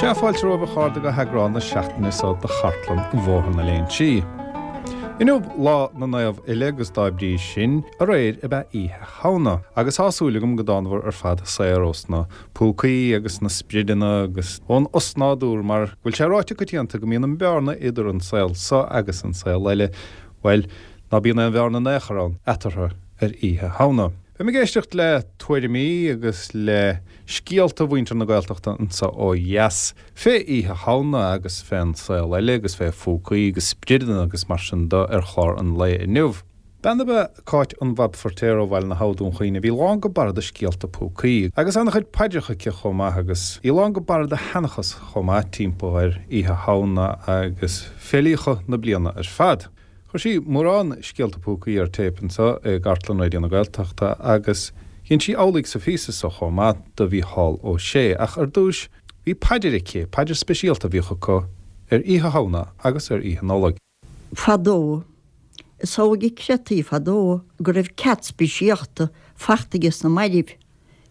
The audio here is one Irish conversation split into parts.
Sea, fáilte romhaibh a chairde go heagrán na seachtaine seo de Chartlann Bhóthar na Léinsí. Inniu Lá na Naomh Uile agus dá bhrí sin, aréir ab ea Oíche Shamhna. Agus tá súil agam go dtánabhair ar fad saor ós na púcaí agus na sprideanna agus ón osnádúr mar go bhfuil sé ráite coitianta go mbíonn an bearna idir an saol so agus an saol eile, bhuel, ná bíonn aon bhearna in aon chor ann eatarthu ar Oíche Shamhna. Beidh mé ag éisteacht le tuairimí agus le scéalta mhuintir na Gaeltachta anso ó dheas fé Oíche Shamhna agus fén saol eile agus fé phúcaí agus sprideanna agus mar sin de ar chlár an lae inniu. Bean ab ea Cáit an Bhab Feirtéar ó Bhaile na hAbha, Dún Chaoin, a bhí lán go barra de scéalta púcaí, agus an-chuid paidreacha aici chomh maith, agus í lán go barra de sheanchas chomh maith timpeall ar Oíche Shamhna agus féilíocha na bliana ar fad. Chuir sí mórán scéalta púcaí ar téip anseo i gcartlann Raidió na Gaeltachta agus dhein sí amhlaidh sa phíosa seo chomh maith do Mhícheál Ó Sé, ach ar dtúis bhí paidir aici, paidir speisialta a bhíodh acu ar Oíche Shamhna agus ar Oíche Nollag. Fadó, is amhlaidh a creidtí fadó go raibh cead speisialta fachta ages na mairbh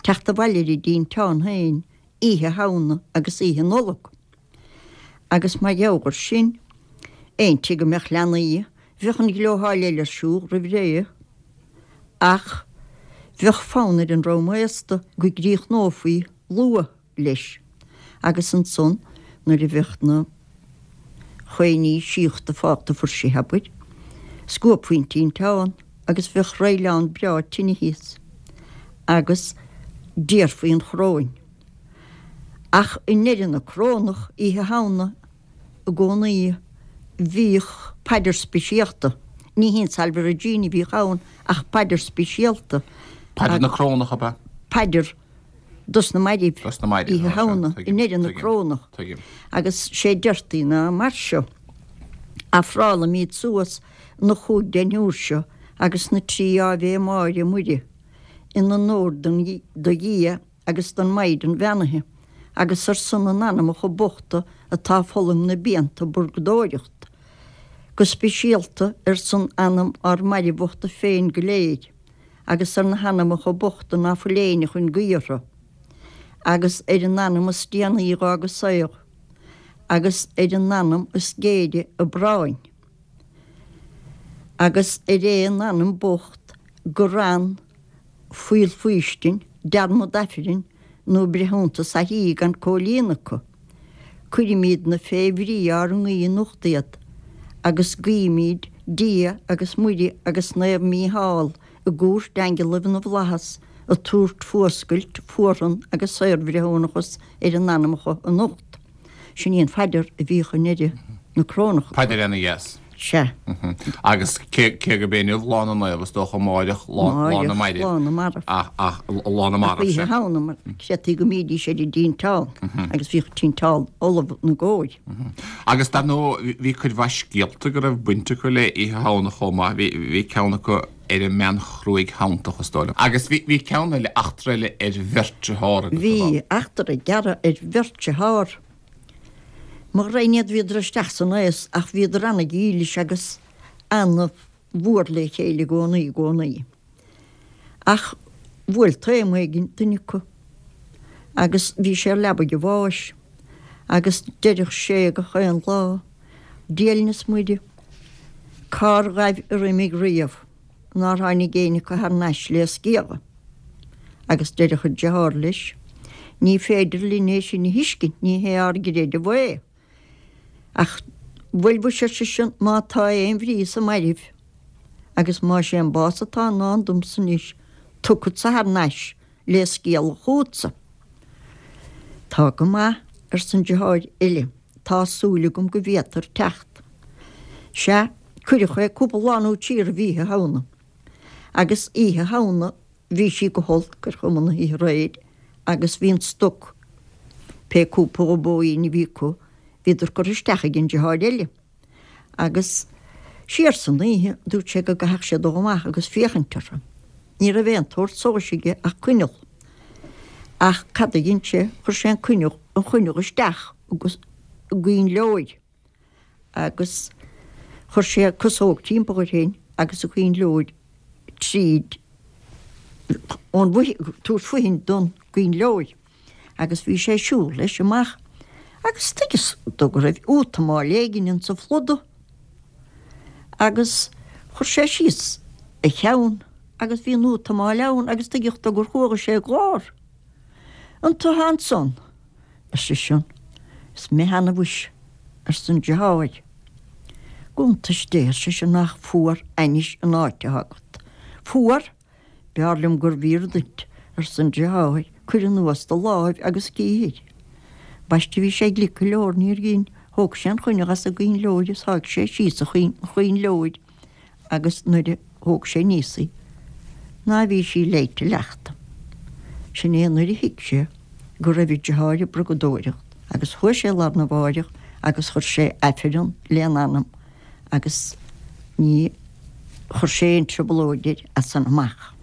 teacht abhaile ar a dtinteán féin Oíche Shamhna agus Oíche Nollag. Agus mar gheall air sin, aon tigh a mbeadh leanaí, bheadh an ghlótháil eile ar siúl roimh ré. Ach bheadh fonn ar an dream aosta go gcríochnófaí luath. leis, agus ansan nuair a bheadh na coinlí síochta fágta fuirseach, abair, scuabfaí an tinteán agus bheadh roithleán breá tine thíos agus d'iarrfaí an choróin. Ach i ndeireadh na corónach, Oíche Shamhna, i gcónaí, bhíodh paidir speisialta. Ní hí an Salve Regina a bhíodh ann ach paidir speisialta. Paidir na corónach, ab ea? Paidir. dos na mairbh, Oíche Shamhna, i ndeireadh na Corónach, agus sé deirtí ná mar seo, Ofrálaimíd suas na chúig deichniúr seo agus na trí Áibhé Máire Muire in onóir do Dhia agus don Mhaighdean Bheannaithe agus ar son na n-anamacha bochta atá ag fulaingt na bpianta i bpurgadóireacht, go speisialta ar son anam ár mairbh bhochta féin go léir. agus ar na hanamacha bochta ná fuil éinne chun guí orthu, agus ar an anam is déanaí dh'fhág an saol, agus ar an anam is géire a bpráinn, agus ar aon anam bocht gur fhan fuíoll faoistin, dearmad Aifrinn nó breithiúntas aithrí gan comhlíonadh acu. Cuirimídne fé bhrí ár nguí anocht iad, agus guímíd Dia agus Muire agus Naomh Mícheál i gcúirt aingealaibh na bhFlaitheas a tabhairt fuascailt, fuarthan agus saorbhreithiúnachas ar a n-anamacha anocht. Sin í an phaidir a bhíodh i ndeireadh na Corónach. Paidir ana-dheas. Sea. Agus cé gurb é inniu Lá na Naomh, is dócha amáireach Lá na Mairbh. Lá na Marbh. Ach, ach, Lá na Marbh, sea. Ach Oíche Shamhna, mar creidtí go mbídís ar an dtinteán agus bhíodh tinteán ullamh ina gcomhair. Agus dar ndóigh, bhí cuid mhaith scéalta go raibh baint acu le Oíche Shamhna chomh maith. Bhí, bhí ceann acu ar an mbean chruaidh shantach, is dóigh liom. Agus bhí, bhí ceann eile, eachtra eile ar bheirt dearthár agat, Bhí eachtra gearr ar bheirt dearthár. Mo ghraidhin iad bhíodar isteach san aos ach bhíodar ana-dhílis agus ana-mhór le chéile i gcónaí, i gcónaí. Ach bhuail taom éigin duine acu agus bhí sé ar leabaidh a bháis agus deireadh sé gach aon lá, Dia linn is Muire, cár ghaibh ar imigh riamh nár tháinig éinne acu thar n-ais le sciáladh. Agus deireadh an deartháir leis, Ní féidir linn é sin a thuiscint, ní hé ár gcreideamh é. Ach bhuel mhuise, ar seisean, má tá aon bhrí sa mairbh, agus más é an bás atá i ndán domsa anois, tiocfadsa thar n-ais le sciáladh chugatsa. Tá go maith, arsa an deartháir eile, tá súil agam go bhféadfair teacht. Sea, cuireadh é cúpla lá nó trí roimh Oíche Shamhna. Agus Oíche Shamhna bhí sí go holc ar chuma na hoíche aréir agus bhí an stoc, pé cúpla bóín a bhí acu, bhíodar curtha isteach ag an deartháir eile. Agus siar san oíche dúirt sé go gcaithfeadh sé dul amach agus féachaint orthu. Ní raibh aon tsórt solais aige ach coinneal. Ach cad a dhein sé, chuir sé an coinneal, an choinneal isteach i gcoinnleoir. agus chuir sé casóg timpeall air féin agus an coinnleoir tríd ón bhfoithin, tabhairt foithin don gcoinnleoir agus bhí sé ag siúl leis amach. Agus tuigeas dó go raibh útamáil éigin insa phluda. Agus chuir sé síos a cheann agus bhí an útamáil ann agus tuigeadh dó gur chuala sé glór. An tu thá ansan? ar seisean. Is mé cheana mhuis, arsa an deartháir. Go iontais Dé, ar seisean, nach fuar ainnis an áit atá agat. Fuar? B'fhearr liom gurbh fhíor duit, arsa an deartháir, cuir anuas do láimh agus cífir. Ambaiste bhí sé glic go leor, níor dhein, thóg sé an choinneal as an gcoinnleoir is sháigh sé síos an choinnleoir agus nuair a thóg sé aníos í ná bhí sí leáite leachta. Sin é nuair a thuig sé go raibh a deartháir ag brugadóireacht agus chuaigh sé lá arna mháireach agus chuir sé Aifreann lena anam agus ní chuir sé aon trioblóid air as san amach.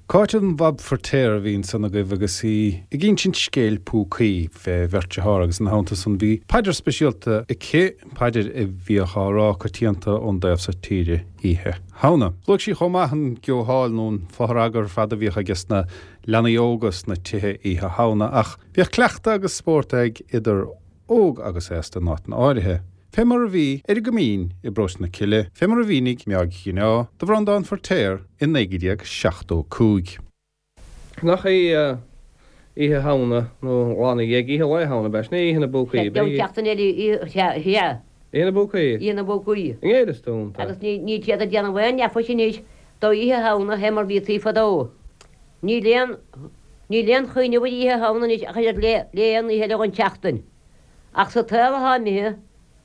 Cáit an Bhab Feirtéar a bhí ansan agaibh agus í ag insint scéil púcaí fé bheirt dearthár agus ina theannta san bhí paidir speisialta aici, paidir a bhíodh á rá coitianta ón dtaobh so tíre Oíche Shamhna. Luaigh sí chomh maith an geotháil nó an fothragadh ar fad a bhíodh aige sna leanaí óga sna tithe Oíche Shamhna ach bhíodh cleachtadh agus spórt ag idir óg agus aosta in áiteanna áirithe. Fé mar a bhí ar an gCoimín i bParóiste na Cille, fé mar a mhínigh Meáig Ghineá do Bhreandán Feirtéar i 1975. Nach í Oíche Shamhna nó lá ina dhiaidh, Oíche Lae Shamhna, ab ea? Sin é Oíche na bPúcaí, ab ea? An tseachtain eile, sea. Oíche na bPúcaí? Oíche na bPúcaí. An ngéilleas tú iontu? Agus níl siad ag déanamh aon neafais anois d'Oíche Shamhna fé mar bhítaí fadó. Níl aon, níl aon chuimhneamh ar Oíche Shamhna anois ach oiread le, le aon oíche eile dhon tseachtain. Ach sa tsaol atá imithe,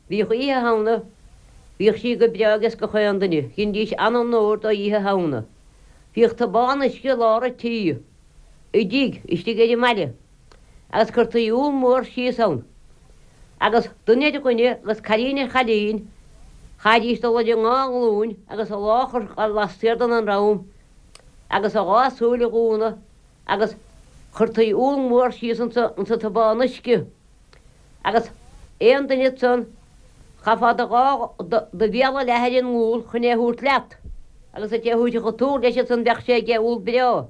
bhíodh Oíche Shamhna, bhíodh sí go breá ages gach aon duine, dheinidís an-onóir d'Oíche Shamhna. Bhíodh tobán uisce i lár a' tí, i dtigh istigh ar an mbaile, agus cuirtí úll mór síos ann, agus duine ar dhuine agus cailín ar chailín, chaithfidís dul ar a ndá nglúin agus a lámh a chur lastiar den ndroim agus a dhá súil a dhúnadh agus chuirtí úll mór síos insa insa tobán uisce agus aon duine ansan chaithfeá do dhá do bhéal a leathadh ar an úll chun é a thabhairt leat agus an té a thabharfadh an t-úll leis ansan bheadh sé aige úll breá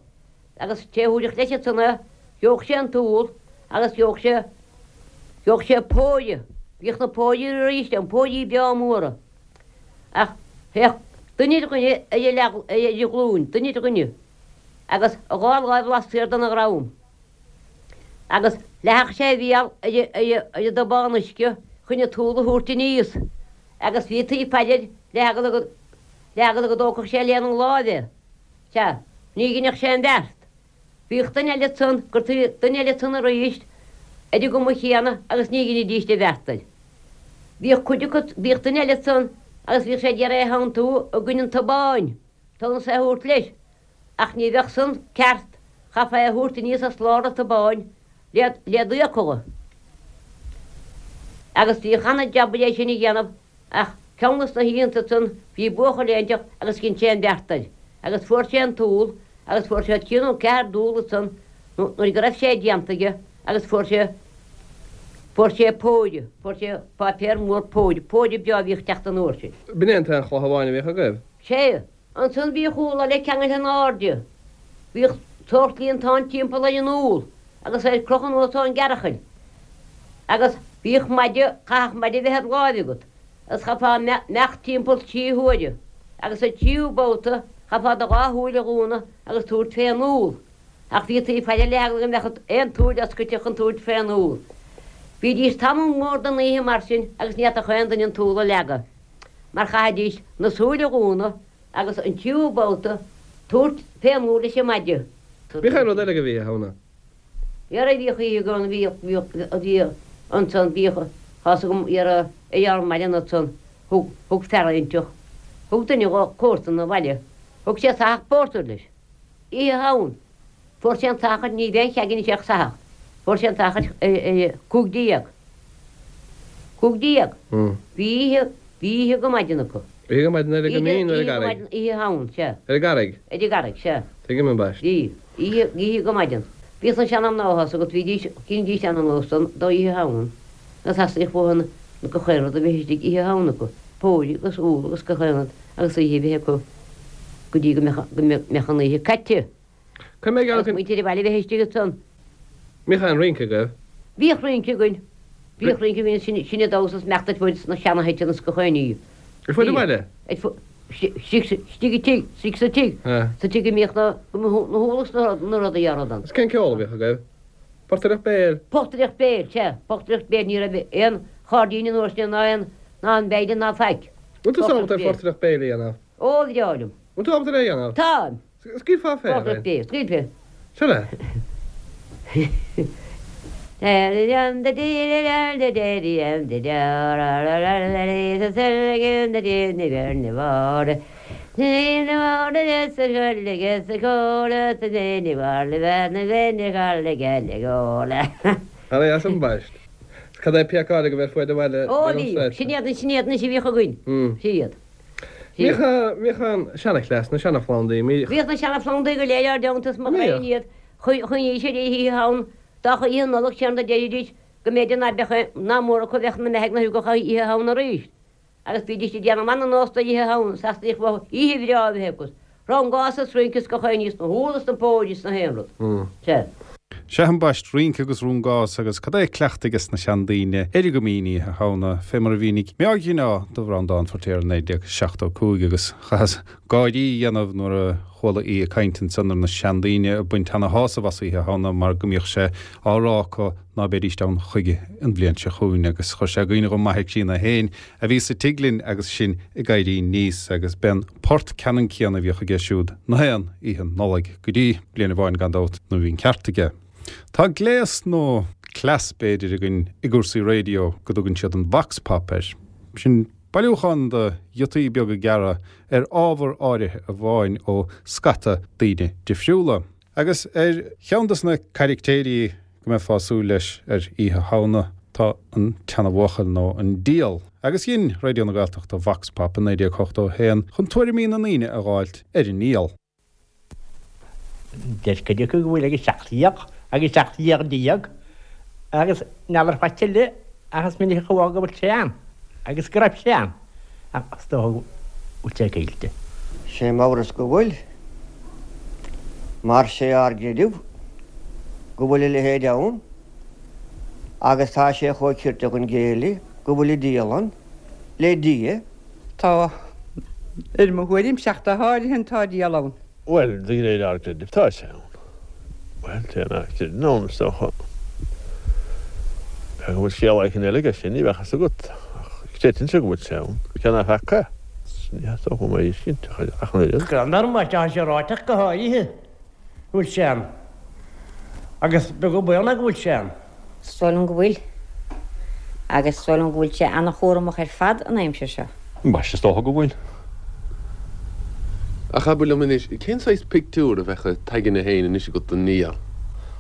agus an té a thabharfadh leis ansan é gheobhadh sé an t-úll agus gheobhadh sé gheobhadh sé póire bhíodh na póirí arís ann póirí breá móra ach théadh duine ar dhuine ar a leath ar a ghlúin duine ar dhuine. agus a dhá láimh lastoir dena dhrom, agus leathfadh sé a bhéal ar an dtobán uisce chun an t-úll a thabhairt aníos, agus bhítí ag faire air le heagla go, le heagla go dtógfadh sé lena láimh é. Sea, ní dheineadh sé an bheart. Bhíodh duine eile ansan, gcuirtí duine eile ansan arís ar an gcuma chéanna agus ní dheinidíst an bheart air. Bhíodh cuid acu, bhíodh duine eile ansan agus bhíodh sé ag iarraidh é a theanntú i gcoinne an tobáin. Tonas é a thabhairt leis, ach ní bheadh san ceart, chaithfeá é a thabhairt aníos as lár an tobáin le le d'fhiacla. Agus bhíodh ana-jab é sin a dhéanamh ach ceann dos na hoícheanta san bhí buachaill éinteacht agus dhein sé an bheart air agus fuair sé an t-úll agus fuair sé trí nó ceathair d'úll ansan nuair go raibh sé déanta aige agus fuair sé fuair sé póire, fuair sé páipéar mór póire, póire breá a bhíodh ag teacht an uair sin. B'in é an t-aon chloch amháin a bhíodh agaibh? Sea. Ansan bhíodh úll eile ceangailte in airde. Bhíodh sórt líontán timpeall ar an úll agus é ar crochadh anuas ón gcearachaill. Agus bhíodh maide, chaithfeadh maide a bheith id láimh agat agus chaithfeá imeacht timpeall trí huaire agus sa tríú babhta chaithfeá do dhá shúil a dhúnadh agus tabhairt fén úll. Ach bhítí ag faire le heagla go mbeadh aon tsúil oscailte chun tabhairt fén úll. Bhídís tamall mór den oíche mar sin agus ní fhéadfadh aon duine an t-úll a leagadh. mar chaithfidís na súile a dhúnadh agus an tríú babhta tabhairt fén úll leis an maide. Bhíodh aon rud eile agaibh Oíche Shamhna? Dhera bhíodh oíche go bhíodh bhíodh bhíodh ansan bhíodh tá's agam dhera ar ár mbaile ansan thug thug fear inteacht thug duine dhó comharsan 'na bhaile thug sé soitheach pórtair leis. Oíche Shamhna fuair sé an soitheach ní bheidh aon cheaig anois ach soitheach fuair sé an soitheach ar 15. 15. Bhí oíche, bhí oíche go maidin acu. Oíche go maidin ar an gCoimín nó ar an gCarraig? Oíche Shamhna, sea. Ar an gCarraig? Ar an gCarraig, sea. Tuigim ambaist. Bhí. Oíche, oíche go maidin. Bhíodh na seanmhná tá's agat, bhídís, dheinidís an-nós d'Oíche Shamhna agus theastaíodh uathu gach aon rud a bheith istigh Oíche Shamhna acu, póirí agus úll agus gach aon rud agus oíche a bheith acu go dtí go mbeadh, go mbeadh an oíche caite. Cuir mé ag Agus muintir an bhaile a bheith istigh ansan. Mbíodh aon rince agaibh? Bhíodh rince againn. Bhíodh rince, bhí sin, sin an damhsa is meachta ar fud sna seana-thithe is gach aon ní. Ar fud an bhaile? Ar fud, istigh, istigh i tigh, istigh sa tigh, sa tigh a mbíodh na, na húlla is na, na rudaí á rud ann. Is cén ceol a bhíodh agaibh? Portaireacht béil? Portaireacht béil, sea, portaireacht béil, ní raibh aon chairdín an uair sin ná aon, ná an veidhlin ná faic. Bhfuil tú ábalta ar phortaireacht béil a dhéanamh? Ó, bhreá liom. Bhfuil tú ábalta ar é a dhéanamh? Táim. Scaoilfeá féin é. Scaoilfeá. Seo leat. Ara dheas ambaist. Cad é píocáil agaibh ar fuaid an bhaile Ó bhí. Sin iad, sin iad anois a bhíodh againn. Sin iad. Bhíodh an seanachleas, na seanaphlandaí, bhíodh. Bhíodh na seanaphlandaí go léir ár dteannta is mo ghreidhn iad, choinnigh siad oíche Shamhna, dá oíche Nollag séan do deiridís go mb'fhéidir ná beadh, ná mór acu a bheadh na mbeathaigh na thugadh oíche Shamhna arís. Agus bhídís ag déanamh ana-nós d'oíche Shamhna, is astaíocht uathu oíche bhreá a bheith acu. Rungás is rince is gach aon ní is na húlla is na póirí is na haon rud. Sea. Sea ambaist, rince agus rungás agus cad é cleachtadh ages na seandaoine ar an gCoimín Oíche Shamhna, fé mar a mhínigh Meáig Ghineá do Bhreandán Feiritéar i 1975 agus chaitheas gáirí a dhéanamh nuair a chuala í ag caint ansan ar na seandaoine ag baint ana shásamh as Oíche Shamhna mar go mbíodh sé á rá acu ná beidíst ann chuige an bhliain seo chugainn agus chuir sé i gcuimhne dhom m'athair críonna féin a bhí sa tigh linn agus sinn ag éirí aníos agus b'é an port ceannann céanna a bhíodh aige siúd na haon oíche Nollag go dtí bliain amháin gan dabht nuair a bhí an ceart aige. Tá gléas nó cleas b'fhéidir againn i gcúrsaí raidió go dtugann siad an vox pop air. Sin bailiúchán de ghiotaí beaga gearra ar ábhar áirithe amháin ó scata daoine difriúla. Agus ar cheann de na caractéirí go mbeifeá ag súil leis ar Oíche Shamhna tá an tseanabhuachaill nó an Diabhal. Agus dhein Raidió na Gaeltachta Vox Pop i 1981 chun tuairimí na ndaoine a dh'fháilt ar an nDiabhal. Deir cuid acu go bhfuil agus 17 agus 17 déag agus n'fheadar faic eile ach is minic a chuala go bhfuil sé ann agus go raibh sé ann ach is dócha go bhfuil sé caillte. Sé m'amhras go bhfuil, mar sé ár gcreideamh go bhfuil a leithéid ann agus tá sé chomh cirte chun géilleadh go bhfuil an diabhal ann le Dia. Tá, ar mo thuairimse ach go háirithe tá diabhal ann. Bhuel, de réir ár gcreidimh tá sé ann. Bhuel, té nach gcreideann ann, is dócha. B'fhéidir go bhfuil scéal éicint eile aige sin, ní bheadh fhios agat. Ach creidimse go bhfuil sé ann. Cé ná feaca é, ní theastódh uaim é a fheiscint ach an oiread. Greannmhar má tá sé ráite ach go háirithe. go bhfuil sé ann. Agus beag an baol ná go bhfuil sé ann. Is dóigh liom go bhfuil. Agus is dóigh liom go bhfuil sé ana-chúramach ar fad an aimsir seo. Ambaiste, is dócha go bhfuil. Ach abair liom anois, cén saghas pictiúr a bheadh i d'aigne féin anois agat den ndiabhal?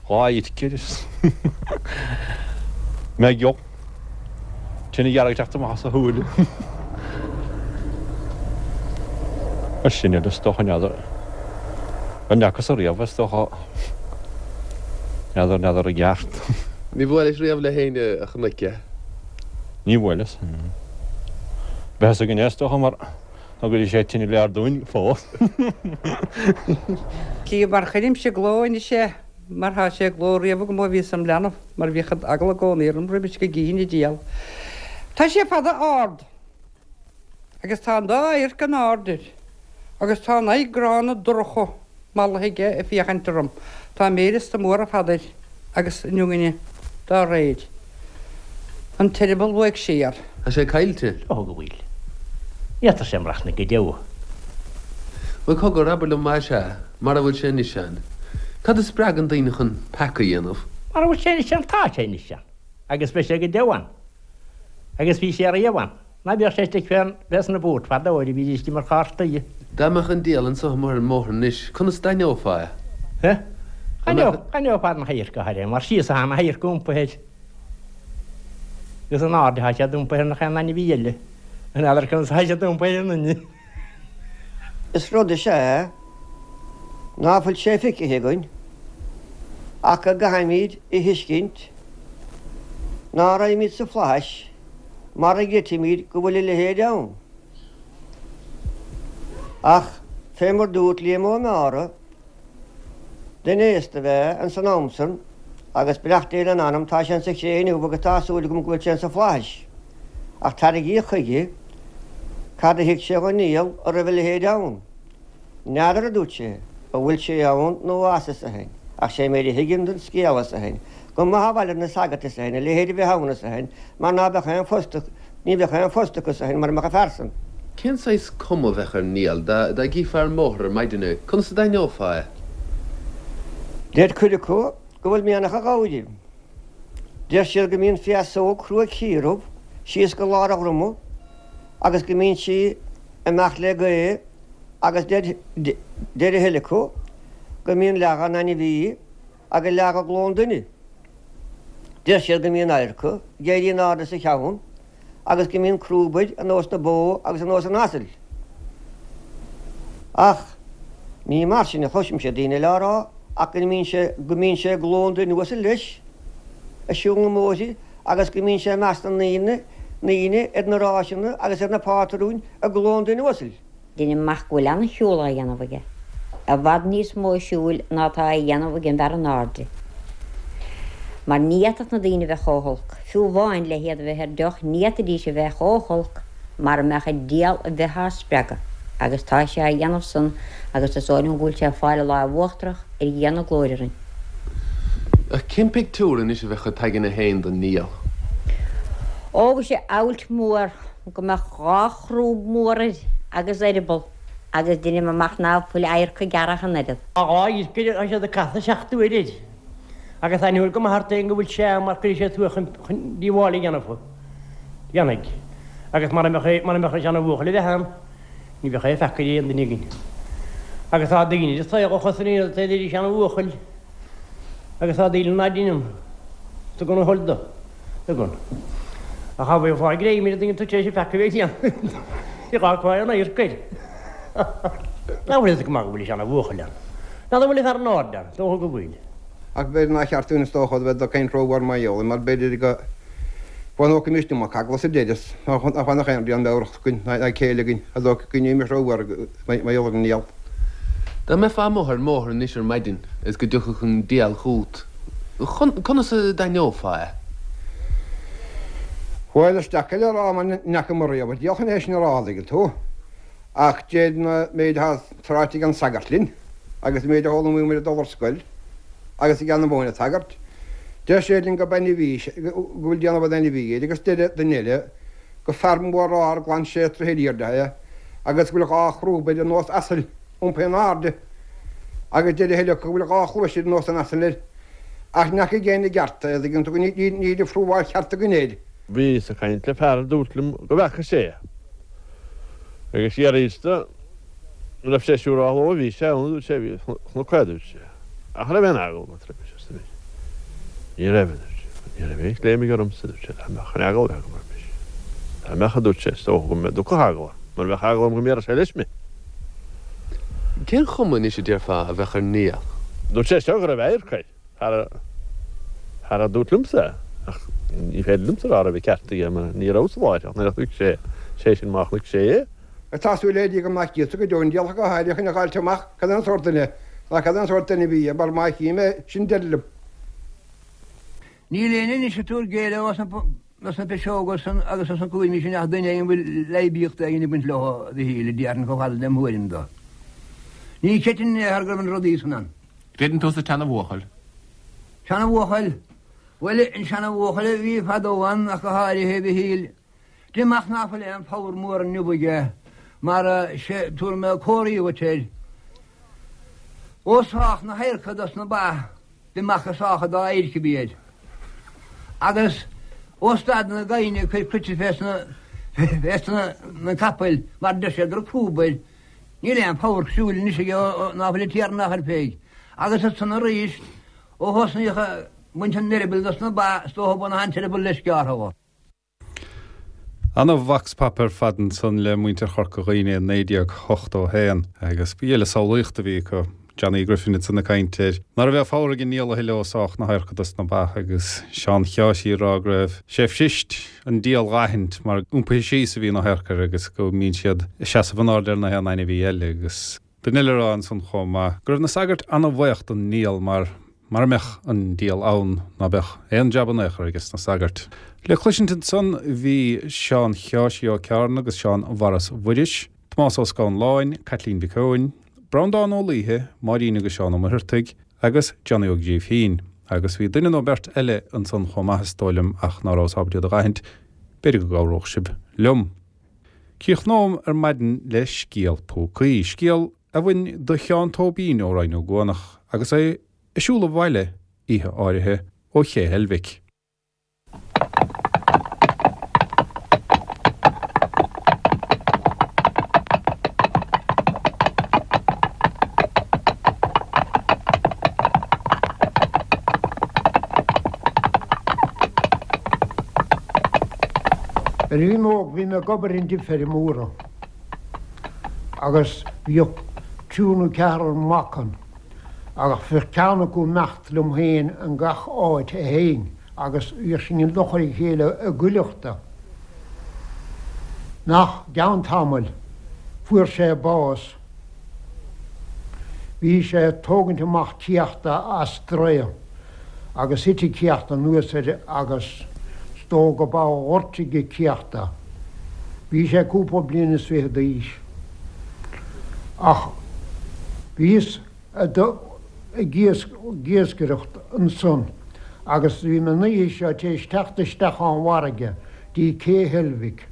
Dhá adharca air is mé ag. Tine dhearg ag teacht amach as a shúile. Mar sin is dócha n'fheadar. An ndeacas ariamh is dócha. N'fheadar, n'fheadar i gceart. Ní bhuailis riamh le héinne a chonaic é? Ní bhuaileas. Bheadh fhios againn é is dócha mar ná go dtí sé tine lear dúinn fós. Cia mar chuirimse i gcló anois é. Mar thá sé i gcló riamh agam ó bhíos im leanbh, mar bhíodh eagla i gcónaí orm roimis go gcífinn an diabhal. Tá sé fada ard, agus tá an dá adharc an-ard air, agus tá an aghaidh gránna dorcha mallaithe aige ag féachaint orm. Tá méar iosta mór ar fad air, agus an iongne dá réir. An t-eireaball uaidh siar. Tá sé caillte. Is dócha go bhfuil. Ní fhéadfadh sé maireachtaint go deo. Bhuel, cogar, abair liom más ea, mara bhfuil sé anois ann, cad a spreagann daoine chun peaca a dhéanamh? Mara bhfuil sé anois ann, tá sé anois ann, agus beidh sé go deo ann. Agus bhí sé riamh ann. Ná bíodh sé istigh fé sna búirt fadó nuair a bhídís ag imirt chártaí. Dá mbeadh an diabhal anso amuigh ar an mbóthar anois, conas d'aithneofá é? D'aithneofá na hadharca air, mar síos atá na hadharca iompaithe air. Agus in airde atá siad iompaithe ar nach aon ainmhí eile. N'fheadar conas atá siad iompaithe ar an nduine. Is rud is ea é ná fuil sé feicthe againn ach go gcaithfimíd a thuiscint ná raghaimíd sa fhlaithis mara gcreidfimíd go bhfuil a leithéid ann. Ach fé mar dúirt Liam Ó Meára, duine aosta ab ea ins an am san. Agus beannacht Dé lena anam, tá sé insa chré inniu agus tá súil agam go bhfuil sé insa Fhlaithis. Ach tarraingíodh chuige cad a thuig sé dhon ndiabhal a raibh a leithéid ann. N'fheadar, a dúirt sé, an bhfuil sé ann nó as arsa eisean, ach sé méid a thuigim den scéal, arsa eisean, gur maith a bhail ar na sagairt, arsa eisean, a leithéid a bheith ann, arsa eisean, mar ná beadh aon phost, ní bheadh aon phost acu, arsa eisean, mura mbeadh an fear san. Cén saghas cuma a bheadh ar an ndiabhal dá dá gcífeá ar an mbóthar ar maidin é? Conas a d'aithneofá é? Deir cuid acu go bhfuil mianach a ghabhair. Deir siad go mbíonn féasóg cruaidh ciardhubh síos go lár a dhroma agus go mbíonn sí amach le gaoth agus deir deir a thuilleadh acu go mbíonn leath dhon ainmhí agus leath dho ghlóin duine. Deir siad go mbíonn adharca ag éirí in airde sa cheann agus go mbíonn crúb air ar nós na bó agus ar nós an asail. Ach ní mar sin a chloisimse daoine eile á rá ach go mbíonn sé go mbíonn sé i glóin duine uasail leis ag siúl na mbóithre agus go mbíonn sé i measc na ndaoine ndaoine ar na ráiseanna agus ar na pátrúin i glóin duine uasail. Deinim amach go bhfuil ana-shiúl á dhéanamh aige, i bhfad níos mó siúil ná atá á dhéanamh ag an bhfear in airde. Mar ní fhéadfadh na daoine a bheith chomh holc, fiú amháin le hiad a bheith ar deoch, ní fhéadfaidís a bheith chomh holc mara mbeadh an diabhal a bheith á spreagadh, agus tá sé á dhéanamh san agus is dóigh liom go bhfuil sé ag fáil a láimh uachtarach ar Dhia na glóire orainn. Ach cén pictiúr anois a bheadh agat againne féin den ndiabhal? Ó, bheadh sé abhailt mór go mbeadh dha chrúb mhór air agus eireaball agus deinim amach ná fuil adharca gearrtha ach an oiread. Tá dhá adharca air tá siad ag casadh seacht uaire air agus aithneofar go maith ort féin go bhfuil sé ann mar cuirfidh sé suas chun chun díobháil a dhéanamh dhéanfaidh agus mara mbeadh mara mbeadh an seana-bhuachaill a bheith ann ní bheadh aon pheaca ar aon duine againn. Agus tá daoine sa saol a chosnaíonn ar an seana-bhuachaill agus tá daoine ná deineann tugann a thoil do. Tugann. Ach cha bhfaighfeá greim ar an duine tar éis an pheaca a bheith déanta. Ní gá go bhfaighidh an adharc air. Nach bhfuil fhios go maith go bhfuil an seana-bhuachaill ann. N'fheadar an bhfuil an fear in airde ann. Dócha go bhfuil. Ach b'fhéidir nár cheart dúinn is dócha a bheith ag caint rómhór mar gheall air, mar b'fhéidir go bhfanócaimis iomarca eagla sa deireadh, nach bhfanfadh aon rian meabhrach againn ná céille againn, a dócha go ndéanfaimis rómhór mar gheall ar an ndiabhal. Dá mbeifeá amuigh ar an mbóthar anois ar maidin is go dtiocfadh an diabhal chugat, conas a d'aithneofá é? Bhuel, is deacair le rá mar ní fhaca mé riamh an diabhal chun é sin a rá, an dtuigeann tú. Ach deir an méid atá ráite ag an sagart linn, agus an méid a d'fhoghlaimíomar ag dul ar scoil, agus ag an mhóin-tsagairt, deir sé linn gurb ainmhí, go bhfuil déanamh an ainmhí air, agus deir duine eile gur fear mór ard glan sé troithe ar airde é, agus go bhfuil dhá chrúb air ar nós asail, iompaithe in airde, agus deir a thuilleadh go bhfuil dhá chluais ar nós an asail air. Ach ní fhaca éinne i gceart é, an dtuigeann tú, níl an phrúbháil cheart againn air. Bhíos ag caint le fear a dúirt liom go bhfeaca sé é. Agus d'fhiafraíos de an raibh sé siúrálta ó bhí sé ann, a dúirt sé, bhí, chonac é, a dúirt sé. Ach an raibh aon eagla agat roimis, arsa mise. Ní raibh, a dúirt sé. Ní raibh aon chléim aige ormsa, a dúirt sé, dá mbeadh aon eagla a bheith agam roimis. Dá mbeadh, a dúirt sé, is dócha go dtiocfadh eagla orm, mar bheadh eagla orm go mbéarfadh sé leis mé. Cén chuma anois a déarfá a bheadh ar an ndiabhal? Dúirt sé seo go raibh adharca air. Fear a dúirt liomsa é, ach ní féidir liomsa a rá raibh an ceart aige mar ní rabhas i láthair ach nuair a chonaic sé, sé sin má chonaic sé é. Tá súil le Dia go mbeadh Íosa go deo an diabhal go háirithe chun a dh'fháilt amach cad é an sórt duine ná cad é an sórt ainmhí é mar má chím é, sin deireadh liom. Níl éinne anois ag tabhairt géilleadh as na piseoga san agus as na cúraimí sin ach duine éigin a bhfuil aibíocht éigin ag baint leo, a Mhichíl, a déarfainn chomh fada lem thuairim do. Ní chreidfinn in aon chor go raibh na rudaí san ann. Creideann tú sa tseana-bhuachaill? Seana-bhuachaill? Bhuel, an seana-bhuachaill a bhí fadó ann ach go háirithe, a Mhichíl. Deinim amach ná fuil aon phabhar mór inniu aige, mar sé, tabharfaidh mé comharthaí dhuit air. Ó sách na hadharca dos na ba, deinim amach gur sách an dá adharc a bhí air. Agus ó stad na gaibhne ag cur cruite fés na, na capaill, mar deir siad go raibh crúba air, Níl aon phabhar siúil anois aige ná fuil an Tiarna á chur fé. Agus ansan arís, ó thosnaíodh ag baint an eireabaill dos na ba, is dócha baineadh an t-eireaball leis gearrtha dho. Ana vox pop ar fad ansan le muintir Chorca Dhuibhne i 1981 agus ba ghile samhlaíocht a bhí acu. Johnny Griffin ansan ag caint ar ná raibh aon phabhar ag an ndiabhal a thuilleadh ó sádh na hadharca dos na ba agus Seán Sheáirsí ag rá go raibh sé fuirist an diabhal dh'aithint mar iompaithe síos a bhí na hadharca air agus go mbíonn siad ag seasamh in airde ar na haon ainmhí eile agus duine eile ag rá ansan chomh maith go raibh na sagairt ana-bhaoch don ndiabhal mar. Mara mbeadh an diabhal ann ná beadh aon jab in aon chor aige sna sagairt. Le cloisint ansan bhí Seán Sheáirsí Ó Ceárna agus Seán Mharas Mhuiris, Tomás Ó Scanláin, Caitlín Mhic Eoin, Breandán Ó Laoithe, Máirín agus Seán Ó Muircheartaigh agus Johnny Ó Grífín. Agus bhí duine nó beirt eile ansan chomh maith is dóigh liom ach ná rabhas ábalta iad a dh'aithint, b'fhéidir go gcabhródh sibh liom. Críochnóm ar maidin le scéal púcaí, scéal a bhain do Sheán Tóibín ó Rinn Ó gCuanach agus é ag siúl abhaile oíche áirithe ó Ché Heilbhic. Nuair a bhí mé óg bhí mé ag obair i dtigh feirmeora agus bhíodh triúr nó ceathrar mac ann agus bhíodh ceann acu ag imeacht liom féin in gach áit a théinn agus bhíodh sinn i bhfochair a chéile i gcuileachta. Nach gceann tamaill fuair sé bás. Bhí sé ag tógaint amach céachta as draoi agus thit an céacht anuas air agus is dóigh go ba ghortaigh an céacht é. Bhí sé cúpla bliain is fichead d'aois. Ach bhíos ag iascaireacht ansan agus bhí mé an oíche seo tar éis teacht isteach ón bhfarraige dtí Cé Heilbhic.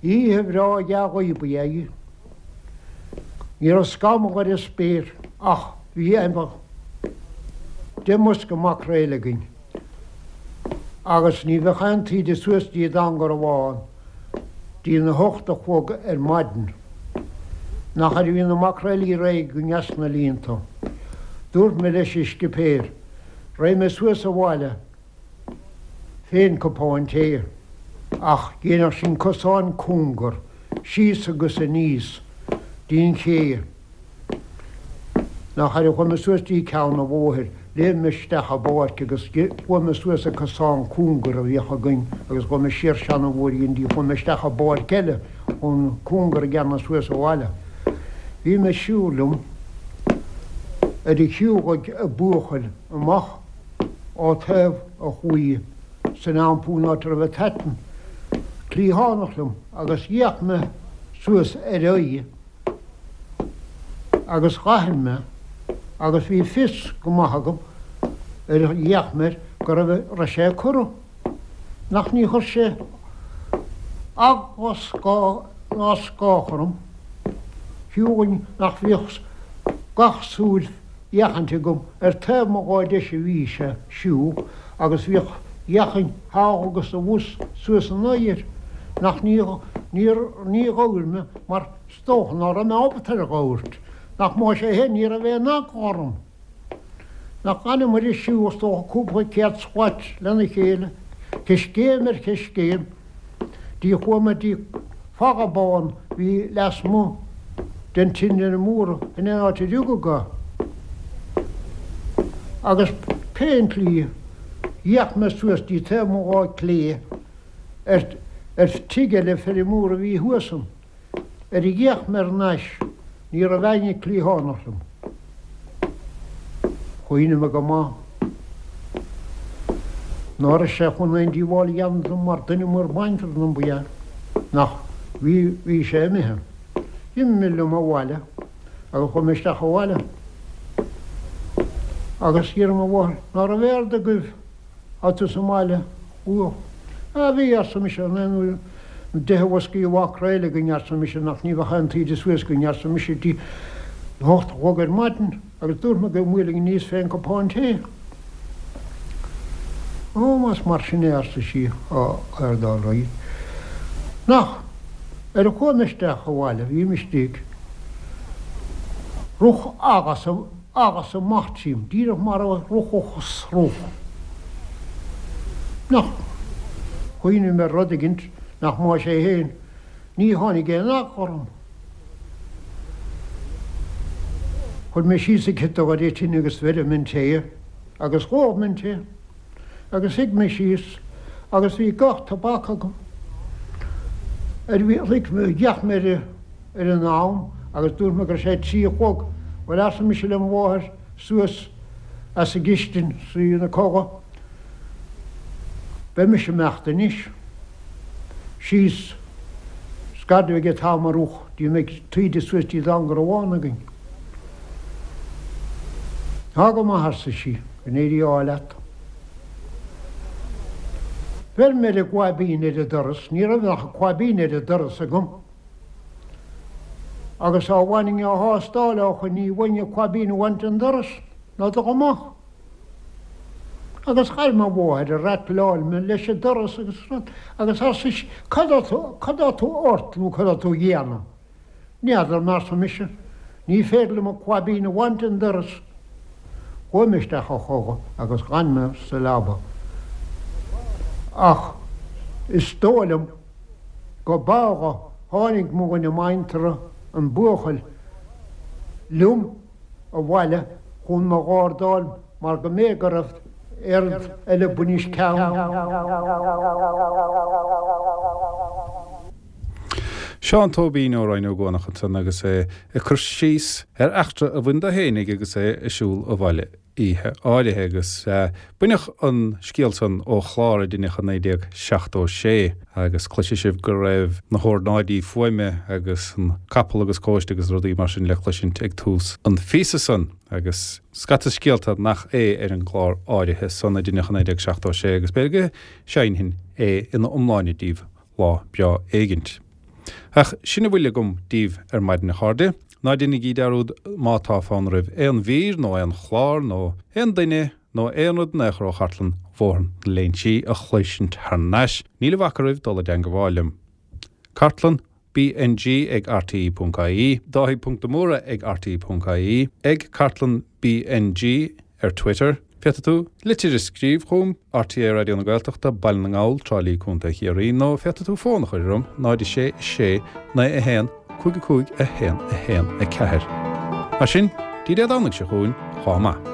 Oíche bhreá dhea-ghaoth ba ea í. Ní raibh scamall ar an spéir ach bhí 10 mbosca maicréil againn agus ní bheadh aon taoide suas dtí an Garbhán dtí na hocht a chlog ar maidin. Nach ar a bhí na maicréilí réidh againn as na líonta. Dúirt mé leis an scipéir, Raghaidh mé suas abhaile fén cupán tae, ach dhéanfadh sin cosán cúngar síos agus aníos dtí'n ché. Nach ar a chuaigh mé suas dtí ceann an bhóthair, léim mé isteach i bpáirc agus chuaigh mé suas an cosán cúngar a bhíodh againn agus chuaigh mé siar seana-bhóithrín dtí chuaigh mé isteach i bpáirc eile chun cúngar a dhéanamh suas abhaile. Bhí mé ag siúl liom ar a shiúlaigh an buachaill amach ó taobh an chlaí san iompú in áit a raibh an t-aiteann cliathánach liom agus d'fhéach mé suas ar a aghaidh agus dh'aithin mé agus bhí fios go maith agam ar a d'fhéach mé air go raibh raibh sé ag corradh. Nach ní chuir sé eagla scáth ná scáth orm, fiú amháin nach bhíodh gach súil fhéachaint agam ar taobh mo láimhe deise a bhí sé ag siúl agus bhíodh fhéachaint thall agus abhus suas ina aghaidh air nach ní níor ní ghabhair mé mar is dócha ná raibh mé ábalta ar a ghabhairt nach más é féin ní raibh aon eagla orm. Nach dh'fhanamair ag siúl is dócha cúpla céad slat lena chéile, coiscéim ar choiscéim, dtí chuamair dtí falla bán bhí lasmuigh den tine mór in aon áit a rugadh é. Agus pén tslí, d'fhéach mé suas dtí taobh mo láimhe clé ar ar tigh eile feirmeora a bhí thuas ann. Ar a d'fhéach mé thar n-ais ní raibh éinne cliathánach liom. Chuimhnigh mé go maith ná raibh sé chun aon díobháil a dhéanamh dom mar duine mór bainfear dom ba ea nach bhí bhí sé imithe. D'imigh mé liom abhaile agus chuaigh mé isteach abhaile agus d'iarr mo mháthair ná raibh aird agaibh Tá tú sa mbaile luath. Á bhí, arsa mise, an aon uair na deich bhoscaí mhaicréil againn, arsa mise, nach ní bheadh aon taoide suas againn, arsa mise, dtí a hocht a chlog ar maidin, agus dúirt mé go mbuailfinn aníos fén cupán tae. Ó, más mar sin é, arsa sí, á, aird all right. Nach, ar a chuaigh mé isteach abhaile, bhím istigh, rith eagla Agus amach tríom, díreach mar a rithfeadh sruth. Nach. Chuimhnigh mé ar rud éigint nach más é féin, ní tháinig aon eagla orm. Chuir mé síos an ciotóg ar an tine agus bheir mé an tae agus dh'ól mé an tae agus shuigh mé síos agus bhí gach tobac agam. Ar bhí, shuigh mé, d'fhéach mé ar an. ar an am agus dúirt mé go raibh sé a 3 a chlog. Bhuel arsa mise le mo mháthair suas. as an gcistin 's í ina codladh. Beidh mise ag imeacht anois. Síos 's gad a bheidh an t-am arúch dtí a mbeidh taoide suas dtí an gcarbhán againn. Tá go maith, arsa sí, go n-éirí ádh leat. Bheir mé ar an gclaibín ar an doras, ní raibh ach an claibín ar an doras agam. Agus á bhaininn á thástáil ó shoin ní bhfaighinn an claibín a bhaint den doras ná dul amach. Agus chuir mo mháthair ag ratláil mé leis an doras agus rud agus arsa sí, cad tá tú, cad tá tú ort nó cad tá tú a dhéanamh? N'fheadar, arsa mise, ní féidir liom an claibín a bhaint den doras. Chuaigh mé isteach a chodladh agus dh'fhan mé sa leaba. Ach is dóigh liom go b'fhada tháinig mo dhuine muinteartha, an buachaill, liom abhaile chun mo ghardáil mar go mb'fhéidir go raibh aon rud eile bainis ceann. Seán Tóibín ó Rinn Ó gCuanach ansan agus é ag cur síos ar eachtra a bhain dó fhéinig agus é ag siúl abhaile oíche áirithe agus baineadh an scéal san ó chlár a deineadh i 1976 agus cloisfidh sibh go raibh na hornáidí fuaime agus an capall agus cóiste agus rudaí mar sin le cloisint ag tús an phíosa san agus scata scéalta nach é ar an gclár áirithe san a deineadh i 1976 agus b'fhéidir go seinnfinn é ina iomláine daoibh lá breá éigint. Ach sin a bhfuil agam daoibh ar maidin a chairde. Ná déanaigí dearúd má tá fonn oraibh aon mhír nó aon chlár nó aon duine nó aon rud in aon chor ó chartlann Bhóthar na Léinsí a chloisint thar n-ais, níl a bhac oraibh dul i dteangabháil liom. Cartlann BNG ag rte.ie, Dáithí Ponc de Mórdha ag rte.ie, ag Cartlann BNG ar Twitter. Féadfaidh tú litir a scríobh chugam, RTÉ Raidió na Gaeltachta, Baile na nGall, Trá Lí, Co. Chiarraí, nó féadfaidh tú fón a chur orm, 0 6 6 9 1 5 5 1 1 4. Mar sin, dtí Dé Domhnaigh seo chugainn, chomh maith.